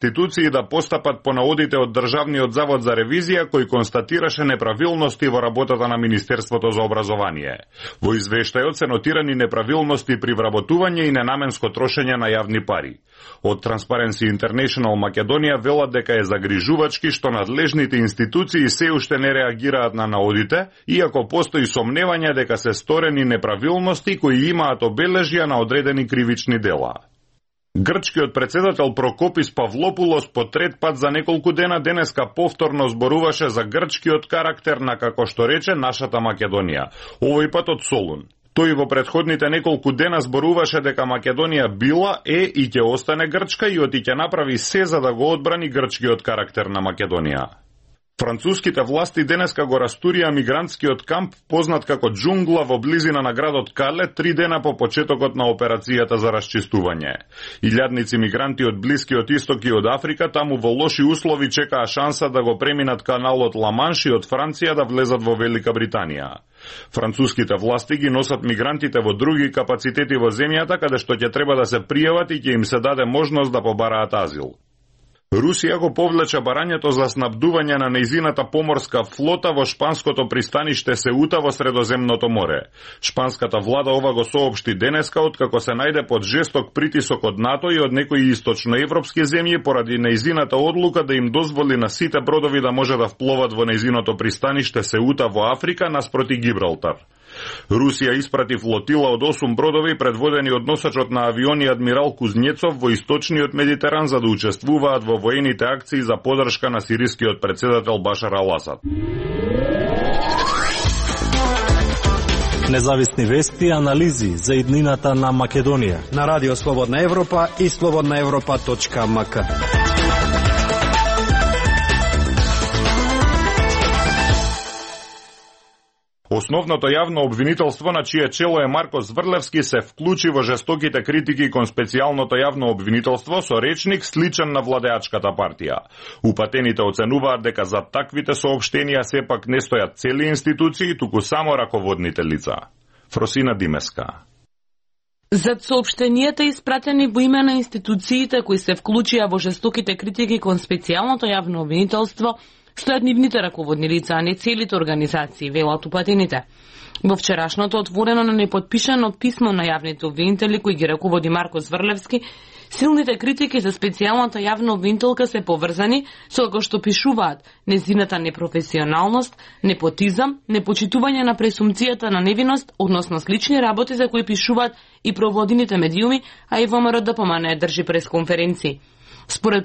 институции да постапат по наодите од Државниот завод за ревизија кој констатираше неправилности во работата на Министерството за образование. Во извештајот се нотирани неправилности при вработување и ненаменско трошење на јавни пари. Од Transparency International Македонија велат дека е загрижувачки што надлежните институции се уште не реагираат на наодите, иако постои сомневање дека се сторени неправилности кои имаат обележја на одредени кривични дела. Грчкиот председател Прокопис Павлопулос по трет пат за неколку дена денеска повторно зборуваше за грчкиот карактер на, како што рече, нашата Македонија, овој пат од Солун. Тој во претходните неколку дена зборуваше дека Македонија била, и ќе остане грчка и ќе направи се за да го одбрани грчкиот карактер на Македонија. Француските власти денеска го растурија мигрантскиот камп, познат како Джунгла, во близина на градот Кале, 3 дена по почетокот на операцијата за расчистување. Илјадници мигранти од Блискиот Исток и од Африка таму во лоши услови чекаа шанса да го преминат каналот Ла-Манш и од Франција да влезат во Велика Британија. Француските власти ги носат мигрантите во други капацитети во земјата, каде што ќе треба да се пријават и ќе им се даде можност да побараат азил. Русија го повлече барањето за снабдување на нејзината поморска флота во шпанското пристаниште Сеута во Средоземното море. Шпанската влада ова го соопшти денеска, откако се најде под жесток притисок од НАТО и од некои источноевропски земји поради нејзината одлука да им дозволи на сите бродови да може да впловат во нејзиното пристаниште Сеута во Африка наспроти Гибралтар. Русија испрати флотила од 8 бродови предводени од носачот на авиони адмирал Кузнецов во источниот Медитеран за да учествуваат во воените акции за поддршка на сирискиот председател Башар ал-Асад. Независни вести и анализи за иднината на Македонија на Радио Слободна Европа и slobodnaevropa.mk. Основното јавно обвинителство на чие чело е Марко Зврлевски се вклучи во жестоките критики кон специјалното јавно обвинителство со речник сличен на владеачката партија. Упатените оценуваат дека за таквите соопштенија сепак не стојат цели институции, туку само раководните лица. Фросина Димеска. Зад соопштенијата испратени во име на институциите кои се вклучија во жестоките критики кон специјалното јавно обвинителство, стојат нивните раководни лица, а не целите организации, велат упатените. Во вчерашното отворено на неподпишано писмо на јавните обвинители кои ги раководи Марко Зврлевски, силните критики за специјалната јавна обвинителка се поврзани со како што пишуваат незината непрофесионалност, непотизам, непочитување на пресумцијата на невиност, односно слични работи за кои пишуваат и проводените медиуми, а и ВМРО ДПМН држи пресконференции. Според